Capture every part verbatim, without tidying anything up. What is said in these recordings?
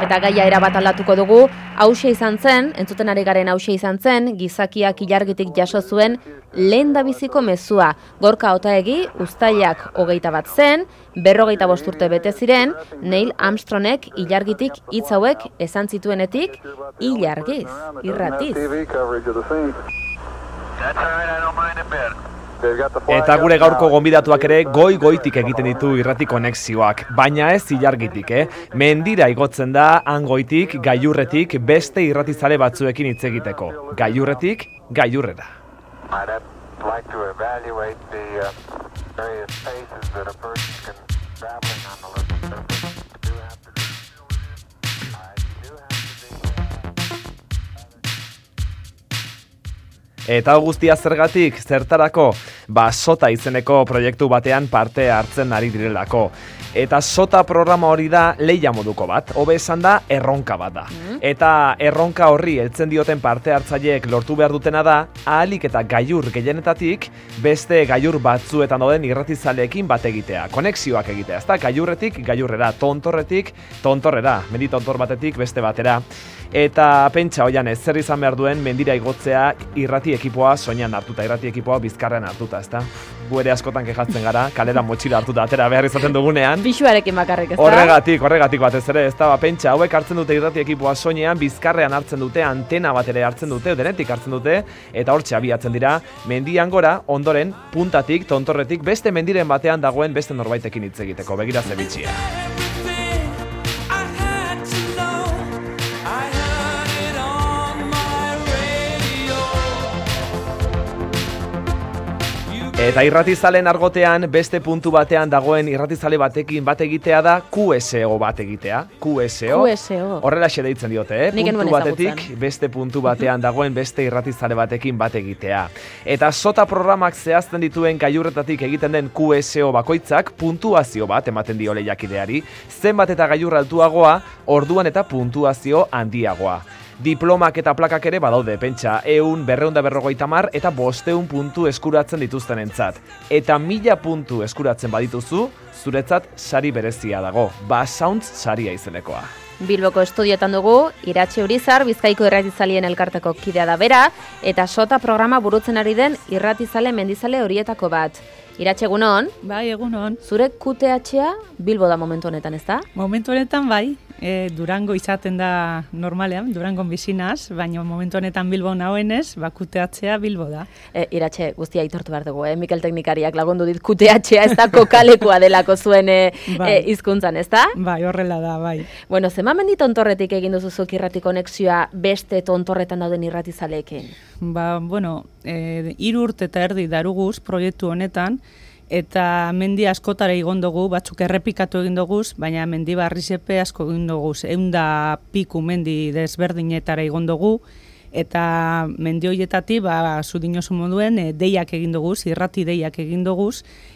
Eta gaia erabat aldatuko dugu, hauxe izan zen, entzuten ari garen hauxe izan zen, gizakiak ilargitik jaso zuen lehendabiziko mezua. Gorka Otaegi, uztailak hogeita bat zen, berrogeita bost urte bete ziren, Neil Armstrongek ilargitik hitz hauek esan zituenetik, ilargiz, irratiz. Eta gure gaurko gonbidatuak ere goi-goitik egiten ditu irrati konexioak, baina ez ilargitik, eh? Mendira igotzen da hangoitik, gailurretik, beste irratizale batzuekin hitz egiteko. Gailurretik, gailurrera. Eta guztia zergatik, zertarako, ba Sota izeneko proiektu batean parte hartzen ari direlako. Eta Sota programa hori da lehia moduko bat, hobe esan da erronka bat da. Mm. Eta erronka horri heltzen dioten parte hartzaileek lortu behar dutena da, ahalik eta gailur gehienetatik beste gailur batzuetan dauden irratizaleekin bat egitea, konexioak egitea, ezta gailurretik gailurrera, tontorretik tontorrera, mendi tontor batetik beste batera. Eta pentsa hoian ez zer izan behar duen mendira igotzea irrati ekipoa soinean hartuta, irrati ekipoa bizkarrean hartuta, ezta? Gu ere askotan kejatzen gara, kalera motxila hartuta atera behar izaten dugunean. Pixuarekin bakarrik, ezta? Horregatik, horregatik batez ere, ezta? Ba, pentsa, hauek hartzen dute irrati ekipoa soinean, bizkarrean hartzen dute, antena bat ere hartzen dute, denetik hartzen dute, eta hortxe abiatzen dira, mendian gora, ondoren, puntatik, tontorretik, beste mendiren batean dagoen beste norbaitekin hitz egiteko, begira ze bitxia. Eta irratizalen argotean beste puntu batean dagoen irratizale batekin bat egitea da Q S O bat egitea. Q S O. Q S O. Horrelaxe deitzen diote, eh? Puntu batetik beste puntu batean dagoen beste irratizale batekin bat egitea. Eta Sota programak zehazten dituen gailurretatik egiten den Q S O bakoitzak puntuazio bat ematen dio lehiakideari, zenbat eta gailur altuagoa, orduan eta puntuazio handiagoa. Diplomak eta plakak ere badaude, pentsa, ehun, berrehun da berrogeita hamar eta bostehun puntu eskuratzen dituztenentzat. Eta mila puntu eskuratzen badituzu, zuretzat sari berezia dago, Basounds saria izenekoa. Bilboko estudioetan dugu, Iratxe Urizar, Bizkaiko irratizalien elkarteko kidea da bera, eta Sota programa burutzen ari den irratizale mendizale horietako bat. Iratxe, egunon? Bai, egunon. Zure Q T H-a Bilbo da momentu honetan, ez da? Momentu honetan bai, e, Durango izaten da normalean, Durangon bizinaz, baina momentu honetan Bilbo nahoenez, ba Q T H-a Bilbo da. E, Iratxe, guztia aitortu behar dugu, eh? Mikel teknikariak lagundu dit Q T H-a ez da kokalekua delako zuen e, bai. e, izkuntzan, ez da? Bai, horrela da, bai. Bueno, zema mendi tontorretik egin duzuzuk irrati konexioa beste tontorretan dauden irratizaleekin? Ba, bueno, e, hiru urte eta erdi daruguz proiektu honetan, eta mendi askotara egon dugu, batzuk errepikatu egin dugu, baina mendi barrizepe asko egin dugu, eunda piku mendi desberdinetara egon dugu, eta mendi horietatik, ba, zudinozu moduen, e, deiak egin dugu, irrati deiak egin dugu,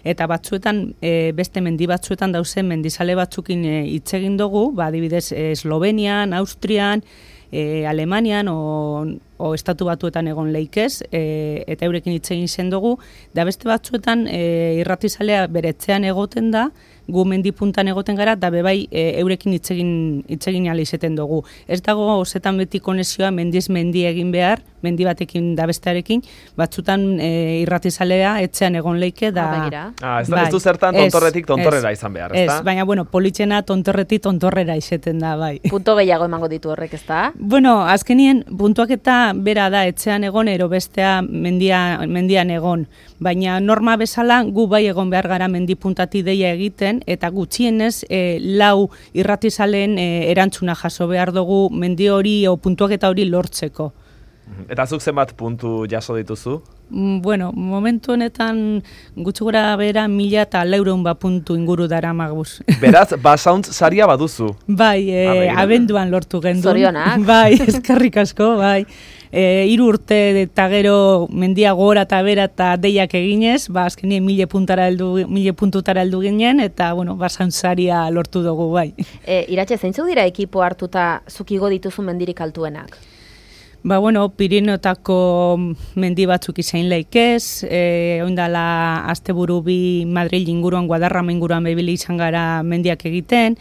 eta batzuetan, e, beste mendi batzuetan dauzen mendizale batzukin hitz e, egin dugu, ba, adibidez, Eslovenian, Austrian, e, Alemanian, o, o estatu batuetan egon leikez, e, eta eurekin hitz egin zen dugu, da beste batzuetan e, irratizalea beretzean egoten da, gu mendi puntan egoten gara, da bebai e, eurekin hitz egin hitz egin ala izeten dugu. Ez dago osetan beti konexioa mendiz mendi egin behar, mendi batekin da bestearekin, batzutan e, irratizalea etxean egon leike da. Ah, ez, bai, ez du zertan tontorretik tontorrera ez, izan behar, ez da? Ez, baina bueno, politxena tontorretik tontorrera izeten da, bai. Punto gehiago emango ditu horrek, ez da? Bueno, azkenien puntuak eta bera da etxean egon, ero bestea mendia, mendian egon. Baina norma bezala gu bai egon behar gara mendi puntati deia egiten, eta gutxienez e, lau irratizaleen e, erantzuna jaso behar dugu mendi hori o puntuak eta hori lortzeko. Eta zuk zenbat puntu jaso dituzu? Bueno, momentu honetan gutxi gora bera mila eta laureun bat puntu inguru dara maguz. Beraz, Basounds saria baduzu? Bai, e, abenduan lortu gendun. Zorionak. Bai, eskerrik asko, bai. E, hiru urte eta gero mendia gora eta bera eta deiak eginez, ba, azkenien mile puntara heldu, mile puntutara heldu ginen, eta, bueno, Basounds saria lortu dugu, bai. E, Iratxe, zeintzuk dira ekipo hartuta zukigo dituzu mendirik altuenak? Ba, bueno, Pirinotako mendi batzuk izain leikez, e, oindala asteburu bi Madril inguruan, Guadarrama inguruan bebili izan gara mendiak egiten,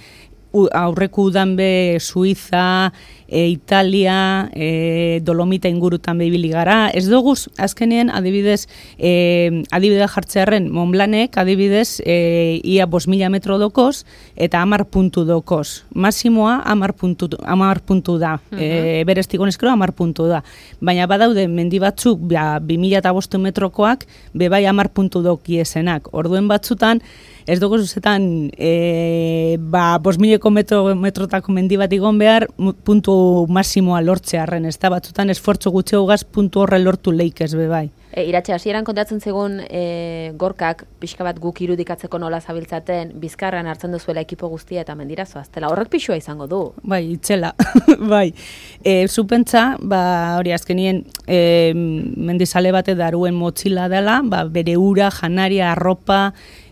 aurreku udan be Suiza, e, Italia, e, Dolomita ingurutan behibili gara. Ez dugu, azkenean, adibidez, e, adibidez jartzearen, Montblanek, adibidez, e, ia bos mila metro dokoz, eta amar puntu dokoz. Masimoa amar puntu, amar puntu da. Uh -huh. e, Bereztik honezkero amar puntu da. Baina badaude, mendi batzuk, ba, bi mila eta bostu metrokoak, bebai amar puntu dokiesenak. Orduen batzutan, ez dugu zuzetan, e, ba, bos mileko metro, metrotako mendi bat igon behar, puntu masimoa lortzearren, ez da, batzutan esfortzu gutxeo gaz puntu horre lortu leikez bebai. E, Iratxe, hasieran kontatzen zegoen e, gorkak, pixka bat guk irudikatzeko nola zabiltzaten, bizkarran hartzen duzuela ekipo guztia eta mendira zoaztela. Horrek pixua izango du. Bai, itxela, bai. E, Zupentza, ba, hori azkenien, e, mendizale bate daruen motxila dela, ba, bere ura, janaria, arropa,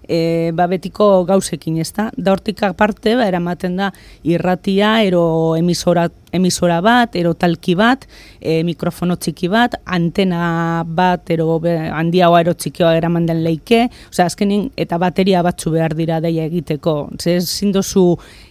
E, ba, betiko gauzekin, ez da? Da hortik aparte, ba, eramaten da irratia, ero emisora, emisora bat, ero talki bat, e, mikrofono txiki bat, antena bat, ero handiagoa ero txikioa eraman den leike, osea, azkenin, eta bateria batzu behar dira deia egiteko. Zer, zindozu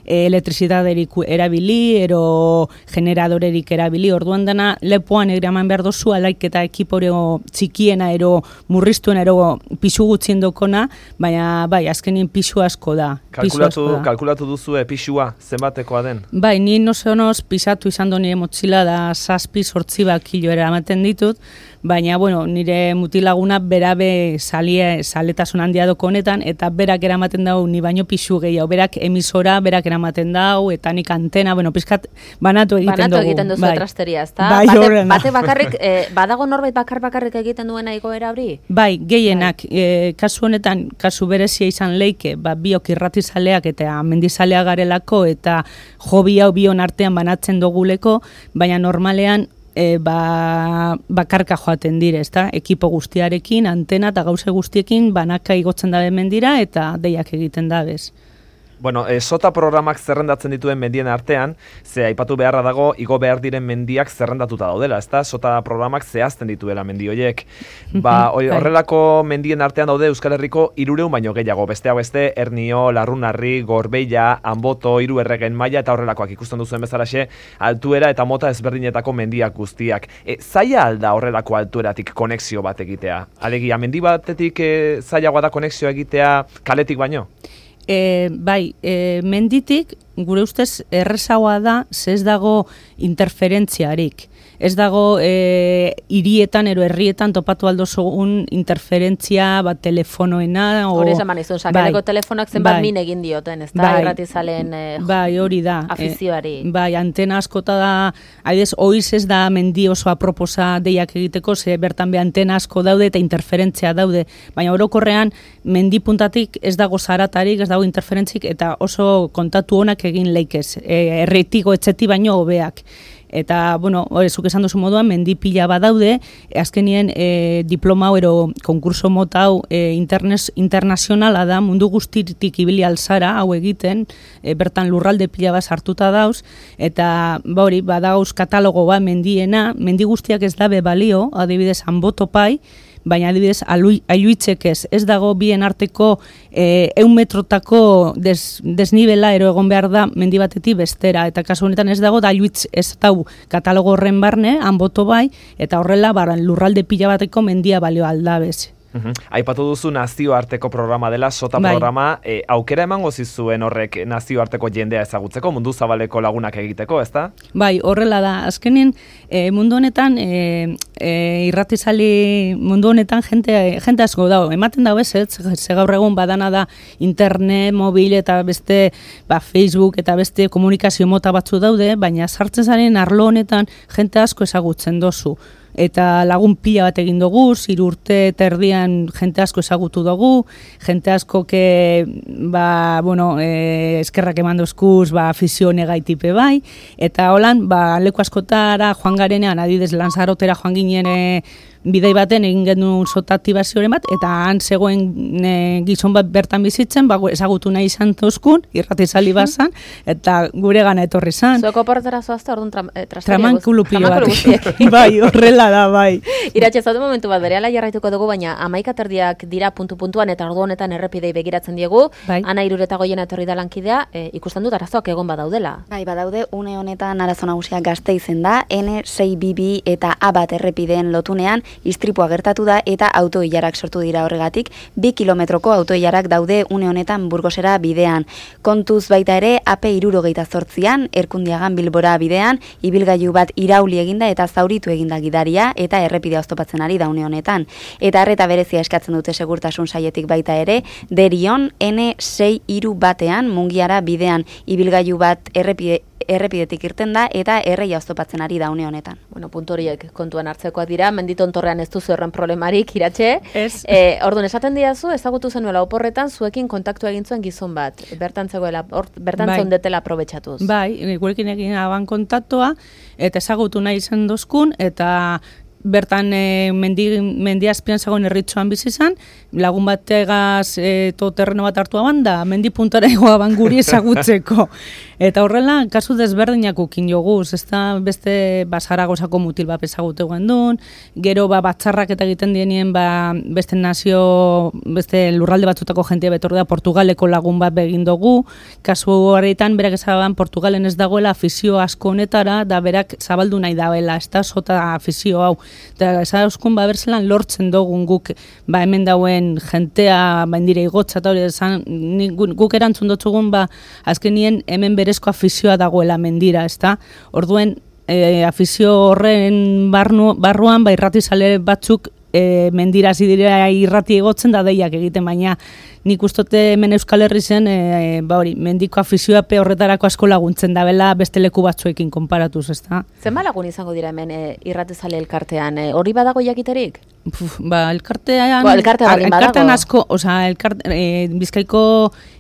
e, elektrizitaterik erabili, ero generadorerik erabili, orduan dena, lepoan eraman behar dozu, alaik eta ekiporeo txikiena, ero murriztuena, ero pisu gutxien dokona, baina bai, azkenien pisu asko da. Kalkulatu, asko da. kalkulatu duzu pisua zenbatekoa den? Bai, ni nosonoz pisatu izan do nire motxila da zazpi sortzi bat kilo eramaten ditut, baina, bueno, nire mutilaguna berabe salie, saletasun handia doko honetan, eta berak eramaten dau ni baino pisu gehiago, berak emisora, berak eramaten dau, eta nik antena, bueno, pizkat banatu egiten banatu dugu. Banatu egiten duzu bai. trasteria, ez da? Bai, bate, bate bakarrik, eh, badago norbait bakar bakarrik egiten duena igoera hori? Bai, gehienak, bai. E, kasu honetan, kasu berezia izan leike, ba, biok irratizaleak eta mendizalea garelako, eta hobi hau bion artean banatzen duguleko, baina normalean, E, ba, bakarka joaten dire, ezta? Ekipo guztiarekin, antena eta gauze guztiekin banaka igotzen dabe mendira eta deiak egiten dabez. Bueno, e, sota programak zerrendatzen dituen mendien artean, ze aipatu beharra dago, igo behar diren mendiak zerrendatuta daudela, ezta? Sota programak zehazten dituela mendi horiek. Ba, horrelako mendien artean daude Euskal Herriko hirureun baino gehiago, besteak beste, Ernio, Larrunarri, Gorbeia, Anboto, Hiru Erregen Maila eta horrelakoak ikusten duzuen bezalaxe, altuera eta mota ezberdinetako mendiak guztiak. E, zaila alda horrelako altueratik konexio bat egitea? Alegia, mendi batetik e, zailagoa da konexio egitea kaletik baino? E, bai, e, menditik gure ustez errezagoa da, ze ez dago interferentziarik. Ez dago e, hirietan ero herrietan topatu aldo zogun interferentzia, bat telefonoena. Hori esan manizun, sakeleko bai, telefonak zenbat bai, min egin dioten, ez da? Bai, irratizalen eh, bai, hori da. Afizioari. E, bai, antena askota da, haidez, oiz ez da mendi oso aproposa deiak egiteko, ze bertan be antena asko daude eta interferentzia daude. Baina orokorrean, mendi puntatik ez dago zaratarik, ez dago interferentzik, eta oso kontatu honak egin leikez. E, erretiko etxeti baino hobeak. Eta, bueno, zuk esan duzu moduan, mendi pila badaude, azkenien e, diploma hau ero konkurso mota hau e, internes, internazionala da, mundu guztitik ibili alzara hau egiten, e, bertan lurralde pila bat sartuta dauz, eta ba hori, badauz katalogo bat mendiena, mendi guztiak ez dabe balio, adibidez, Anboto pai, baina adibidez, ailuitzek ez, ez dago bien arteko e, eun metrotako des, desnibela ero egon behar da mendi batetik bestera, eta kasu honetan ez dago, da ailuitz ez dau katalogo horren barne, Anboto bai, eta horrela baran, lurralde pila bateko mendia balio aldabez. Uhum. Aipatu duzu nazioarteko programa dela, sota bai. Programa, e, aukera emango zizuen horrek nazioarteko jendea ezagutzeko, mundu zabaleko lagunak egiteko, ezta? Bai, horrela da. Azkenin, e, mundu honetan, e, e, irratizali mundu honetan jente, jente asko dago. Ematen dago ez, ze gaur egun badana da internet, mobil eta beste ba, Facebook eta beste komunikazio mota batzu daude, baina sartzen zaren arlo honetan jente asko ezagutzen dozu. Eta lagun pila bat egin dugu, hiru urte eta erdian jente asko ezagutu dugu, jente asko ke, ba, bueno, e, eskerrak eman dozkuz, ba, afizio negaitipe bai, eta holan, ba, leku askotara joan garenean, adidez Lanzarotera joan ginen, bidei baten egin genuen sota aktibazioren bat, eta han zegoen e, gizon bat bertan bizitzen, ba, ezagutu nahi izan tozkun, irratizali bazan, eta gure gana etorri zan. Zueko portera zoazte, orduan tra, eh, tramankulupio bat. Bai, horrela da, bai. Iratxe, zaude momentu bat, berehala jarraituko dugu, baina amaikaterdiak dira puntu-puntuan, eta ordu honetan errepidei begiratzen diegu, bai. Ana Irureta Goiena etorri da lankidea, e, ikusten dut arazoak egon badaudela. Bai, badaude, une honetan arazo nagusia Gasteizen da, N sei bi bi eta A bat errepideen lotunean istripua gertatu da eta autoilarak sortu dira horregatik, bi kilometroko autoilarak daude une honetan Burgosera bidean. Kontuz baita ere, A P hirurogeita zortzian, Erkundiagan Bilbora bidean, ibilgailu bat irauli eginda eta zauritu eginda gidaria eta errepidea oztopatzen ari da une honetan. Eta arreta berezia eskatzen dute segurtasun saietik baita ere, Derion N sei hiru batean, Mungiara bidean, ibilgailu bat errepide errepidetik irten da eta erreia oztopatzen ari da une honetan. Bueno, puntu horiek kontuan hartzekoak dira, menditontorrean ez duzu horren problemarik, Iratxe. Ez. E, orduan, esaten diazu, ezagutu zenuela oporretan, zuekin kontaktu egin zuen gizon bat. Bertan zegoela, or, bertan bai. Zondetela aprobetxatuz. Bai, gurekin egin aban kontaktua, eta ezagutu nahi izan dozkun, eta bertan e, mendi, mendi azpian zagoen erritxoan bizi izan, lagun bategaz e, to terreno bat hartu aban da, mendi puntara egoa ban guri ezagutzeko. Eta horrela, kasu desberdinak ukin joguz, ez da beste ba, Zaragozako mutil bat ezagutu duen, gero ba, batzarrak eta egiten dienien ba, beste nazio, beste lurralde batzutako jentia betorri da, Portugaleko lagun bat begin dugu, kasu horretan berak ezaban Portugalen ez dagoela afizio asko honetara, da berak zabaldu nahi dagoela, ez da sota afizio hau. Eta ezauzkun ba, berzelan lortzen dugun guk ba, hemen dauen jentea ba, indire igotza, eta hori esan, guk erantzun dutzugun ba, azkenien hemen berezko afizioa dagoela mendira, ez da? Orduen, e, afizio horren barnu, barruan, ba, irratizale batzuk e, mendira zidira irrati egotzen da deiak egiten, baina nik ustote hemen Euskal Herri zen, e, ba hori, mendiko afizioa pe horretarako asko laguntzen da bela beste leku batzuekin konparatuz, ez da? Zenba lagun izango dira hemen e, irratizale elkartean, e, hori badago jakiterik? Puf, ba, elkartean, Bo, elkarte elkartean asko, oza, elkarte, e, Bizkaiko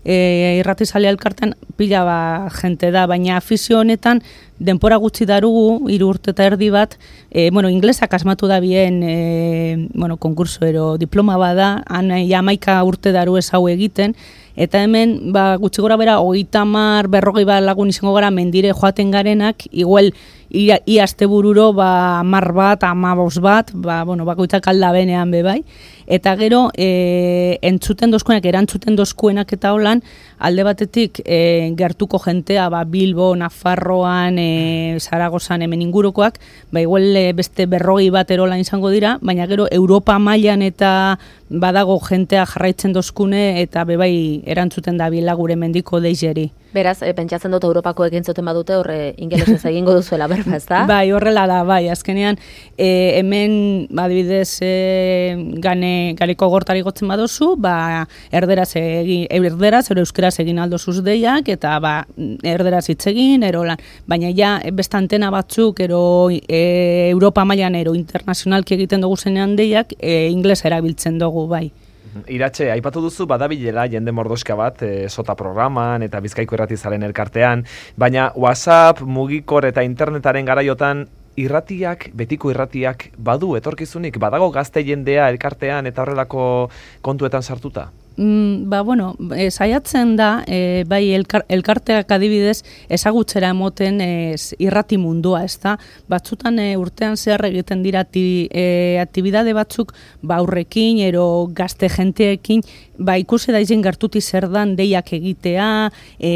e, irratizalea elkartean pila ba jente da, baina afizio honetan denpora gutxi darugu, hiru urte eta erdi bat, e, bueno, inglesak asmatu da bien, e, bueno, konkurso ero diploma bada, han jamaika urte daru ez hau egiten, eta hemen, ba, gutxi gora bera, hogeita hamar, berrogei bat lagun izango gara mendire joaten garenak, igual, ia, ia astebururo, ba, hamar bat, hamabos bat, ba, bueno, bakoitzak alda benean bebai, eta gero, e, entzuten dozkuenak, erantzuten dozkuenak eta holan, alde batetik, e, gertuko jentea, ba, Bilbo, Nafarroan, e, Zaragozan, hemen ingurukoak, ba, igual e, beste berrogei bat erolan izango dira, baina gero, Europa mailan eta badago jentea jarraitzen dozkune, eta bebai erantzuten da bila gure mendiko deizeri. Beraz, e, pentsatzen dut Europako egin zuten badute horre ingelesez egingo duzuela berba, ez da? Bai, horrela da, bai, azkenean e, hemen, adibidez, e, gane, gareko gortari gotzen badozu, ba, erderaz egin, erderaz, ero euskeraz egin aldozuz deiak, eta ba, erderaz hitz egin, erolan. Baina ja, beste antena batzuk, ero e, Europa mailan, ero internazionalki egiten dugu zenean deiak, e, ingles erabiltzen dugu, bai. Iratxe, aipatu duzu badabilela jende mordoska bat e, sota programan eta Bizkaiko irratizaren elkartean, baina WhatsApp, mugikor eta internetaren garaiotan irratiak, betiko irratiak badu etorkizunik, badago gazte jendea elkartean eta horrelako kontuetan sartuta? Mm, ba, bueno, e, saiatzen da, e, bai elkar, elkarteak adibidez ezagutzera emoten e, irrati mundua, ez da? Batzutan e, urtean zehar egiten dira ati, e, aktibidade batzuk ba, aurrekin, ero gazte jenteekin, ba, ikusi da izen gertuti zer dan deiak egitea, e,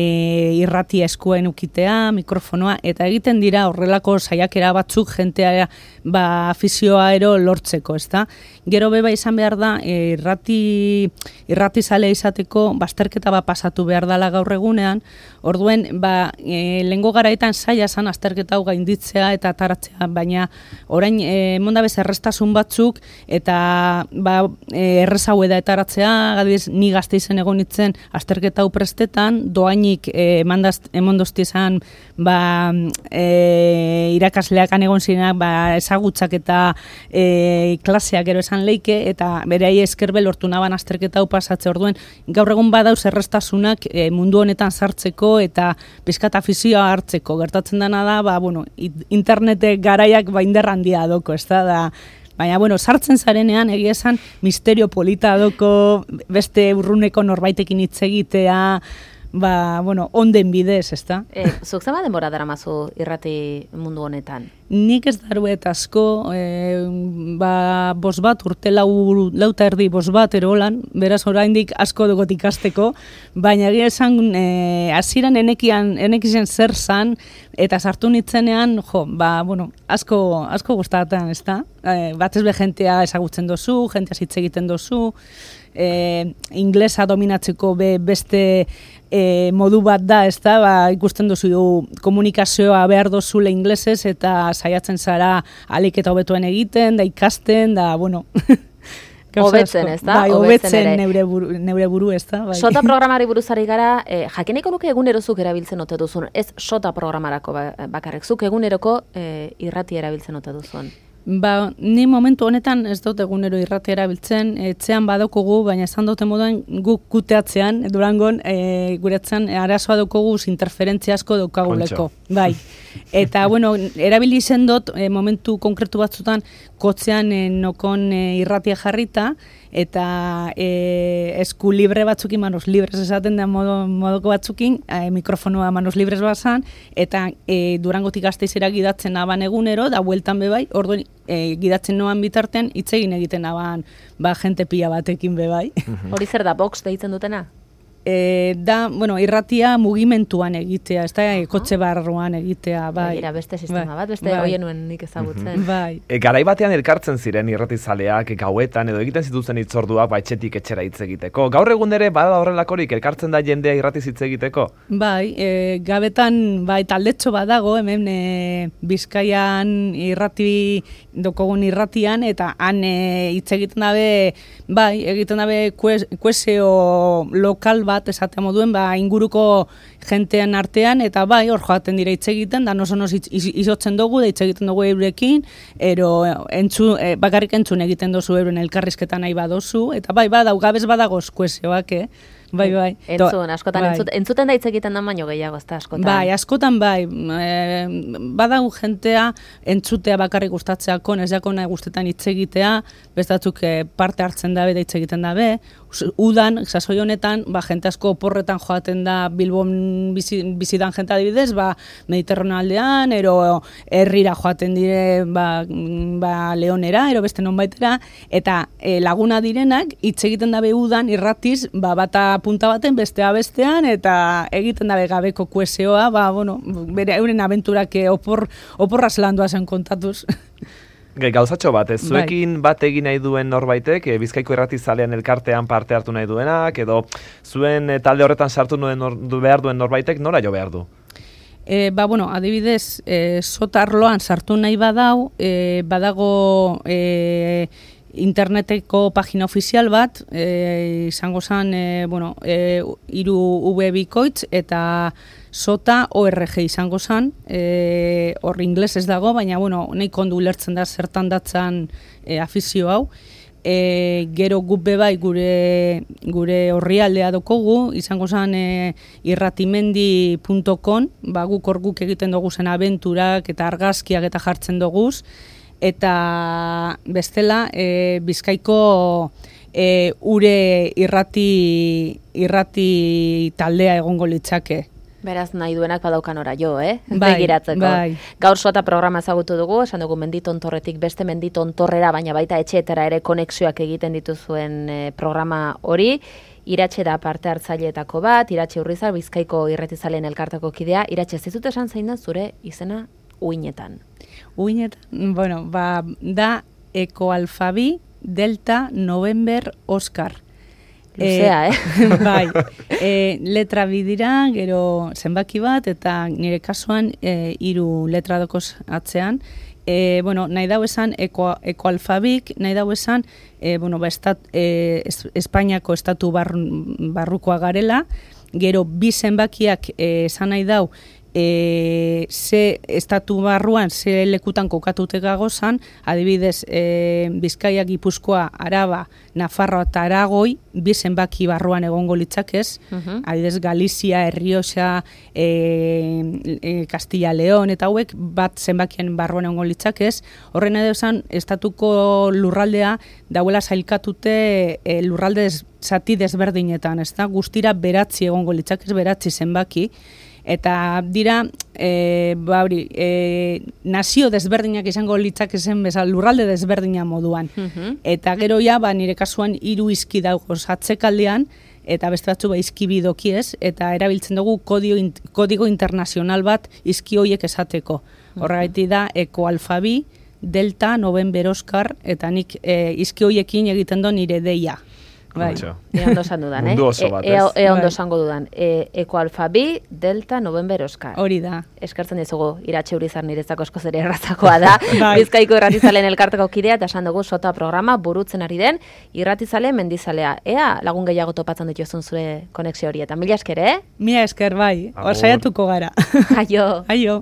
irrati eskuen ukitea, mikrofonoa, eta egiten dira horrelako saiakera batzuk jentea ba, afizioa ero lortzeko, ez da? Gero beba izan behar da, e, irrati, irrati irratizale izateko bazterketa bat pasatu behar dela gaur egunean, orduen ba, e, lehengo garaetan zaila zan azterketa hau gainditzea eta ataratzea, baina orain e, mondabez errestasun batzuk eta ba, e, errezaue da etaratzea, gadiz ni gazte izen egon itzen azterketa hau prestetan, doainik e, emondozti izan ba, e, irakasleakan egon zirenak ba, ezagutzak eta e, klaseak ero esan leike, eta bere ahi eskerbe lortu naban azterketa hau pasat orduen, gaur egun badauz errestasunak e, mundu honetan sartzeko eta pizkat afizioa hartzeko. Gertatzen dena da, ba, bueno, internete garaiak ba inderra handia doko, ez da, da Baina, bueno, sartzen zarenean, egia esan, misterio polita doko, beste urruneko norbaitekin hitz egitea, ba, bueno, onden bidez, ezta? E, zuk zema denbora daramazu irrati mundu honetan? Nik ez daruet asko, e, ba, bos bat, urte lau, lauta erdi bos bat erolan, beraz oraindik asko dugot ikasteko, baina egia esan, e, hasieran enekian, enekizen zer zan, eta sartu nitzenean, jo, ba, bueno, asko, asko gustatzen, ezta? E, batez be jentea ezagutzen dozu, jentea hitz egiten dozu, e, inglesa dominatzeko be, beste e, modu bat da, ezta? Ba, ikusten dozu komunikazioa behar dozule inglesez eta saiatzen zara alik eta hobetuen egiten, da ikasten, da, bueno... Hobetzen, ez da? Bai, hobetzen neure buru, neure buru, ez da? Bai. Sota programari buruzari gara, eh, jakineko nuke egunerozuk erabiltzen ote duzun, ez sota programarako bakarrik, zuk eguneroko eh, irrati erabiltzen ote duzun. Ba, ni momentu honetan ez dut egunero irrati erabiltzen, etxean badokogu, baina esan dute moduan guk kuteatzean, Durangon, e, guretzen arazoa daukogu interferentzia asko daukaguleko. Bai. Eta, bueno, erabili zen dut e, momentu konkretu batzutan kotzean e, nokon e, irratia jarrita, eta e, esku libre batzukin, manos libres esaten da modo, modoko batzukin, e, mikrofonoa manos libres bazan, eta e, Durangotik Gasteizera gidatzen aban egunero, da bueltan bebai, orduan e, gidatzen noan bitartean, hitz egin egiten aban, ba, jente pila batekin bebai. Hori zer da, box deitzen dutena? E, da, bueno, irratia mugimentuan egitea, ez da, e, kotxe barruan egitea, bai. Egira, beste sistema bat, beste bai. Hoien nuen nik ezagutzen. Bai. E, garai batean elkartzen ziren irratizaleak gauetan edo egiten zituzen hitzorduak baitxetik etxera hitz egiteko. Gaur egun ere bada horrelakorik elkartzen da jendea irratiz hitz egiteko? Bai, e, gabetan bai taldetxo badago, hemen e, Bizkaian irrati dokogun irratian, eta han e, hitz egiten dabe, bai, egiten dabe kueseo lokal bat esatea moduen, ba, inguruko jentean artean, eta bai, hor joaten dira hitz egiten, da noso-nos izotzen dugu, da hitz egiten dugu eurekin, ero entzu, e, bakarrik entzun egiten dozu euren elkarrizketan nahi badozu, eta bai, badau, gabez badagoz kuesioak, eh? Bai, bai. Entzun, askotan, bai. entzut, entzuten da hitz egiten da baino gehiago, ez da, askotan. Bai, askotan bai. E, badago jentea entzutea bakarrik gustatzeako, ez jako nahi gustetan hitz egitea, bestatzuk e, parte hartzen dabe da hitz egiten dabe. Udan, sasoi honetan, ba, jente asko oporretan joaten da Bilbon bizi, bizidan jente adibidez, ba, Mediterraneo aldean, ero herrira joaten dire ba, ba, Leonera, ero beste nonbaitera, eta e, laguna direnak hitz egiten dabe udan irratiz, ba, bata punta baten bestea bestean, eta egiten dabe gabeko kuesioa, ba, bueno, bere euren abenturak opor, oporraz landua zen kontatuz. Gauzatxo bat, ez zuekin bat egin nahi duen norbaitek, e, Bizkaiko irratizalean elkartean parte hartu nahi duenak, edo zuen e, talde horretan sartu nuen nor, du behar duen norbaitek, nora jo behar du? E, ba, bueno, adibidez, e, sotarloan sartu nahi badau, e, badago e, interneteko pagina ofizial bat, e, izango zen, e, bueno, e, iru V bikoitz eta sota org izango zen, e, hor ingles ez dago, baina, bueno, nahi kondu ulertzen da zertan datzan e, afizio hau. E, gero guk bebai gure gure orrialdea dokogu, izango zen e, irratimendi punto com, ba, guk hor guk egiten dugu zen abenturak eta argazkiak eta jartzen duguz, eta bestela e, Bizkaiko e, ure irrati irrati taldea egongo litzake. Beraz nahi duenak badaukan ora jo, eh? Bai, begiratzeko. Bai. Gaur sota programa ezagutu dugu, esan dugu menditontorretik beste menditontorrera, baina baita etxeetara ere konexioak egiten dituzuen e, programa hori. Iratxe da parte hartzaileetako bat, Iratxe Urrizar, Bizkaiko irratizalen elkartako kidea. Iratxe, ez dut esan zein da zure izena uinetan? Uinetan, bueno, ba, da ekoalfabi delta november Oscar. Luzea, eh? eh? Bai, e, letra bidira, gero zenbaki bat, eta nire kasuan e, hiru letra dokoz atzean. E, bueno, nahi dau esan eko, ekoalfabik, nahi dau esan e, bueno, ba, estat, e, es, Espainiako estatu bar, barrukoa garela, gero bi zenbakiak e, esan nahi dau e, ze estatu barruan, ze lekutan kokatute gagozan, adibidez, e, Bizkaia, Gipuzkoa, Araba, Nafarroa eta Aragoi, bi zenbaki barruan egongo litzakez, uh-huh. adibidez, Galizia, Errioxa, e, e, Castilla León, eta hauek bat zenbakien barruan egongo litzakez, horren edo esan, estatuko lurraldea dauela zailkatute e, lurralde des, zati desberdinetan, ez da, guztira beratzi egongo litzakez, beratzi zenbaki, eta dira, e, ba, hori, e, nazio desberdinak izango litzakezen bezala lurralde desberdina moduan. Uh-huh. Eta gero ja, ba, nire kasuan hiru izki dagoz atzekaldean, eta beste batzu ba, izki bidokiez, eta erabiltzen dugu kodio, kodigo internazional bat izki hoiek esateko. Horregaitik da, ekoalfabi, delta, November Oscar, eta nik e, izki hoiekin egiten do nire deia. Bai. E ondo esan dudan, eh? Mundu oso bat, ez? E, e ondo esango dudan. E, Eko alfabi, delta, November Oscar. Hori da. Eskertzen dizugu, iratxe urizar niretzako esko zere errazakoa da. Bai. Bizkaiko irratizalen elkarteko kidea, eta esan dugu sota programa burutzen ari den, irratizale mendizalea. Ea lagun gehiago topatzen dituzun zure konexio hori. Eta mila esker, eh? Mila esker, bai. Hor saiatuko gara. Aio. Aio.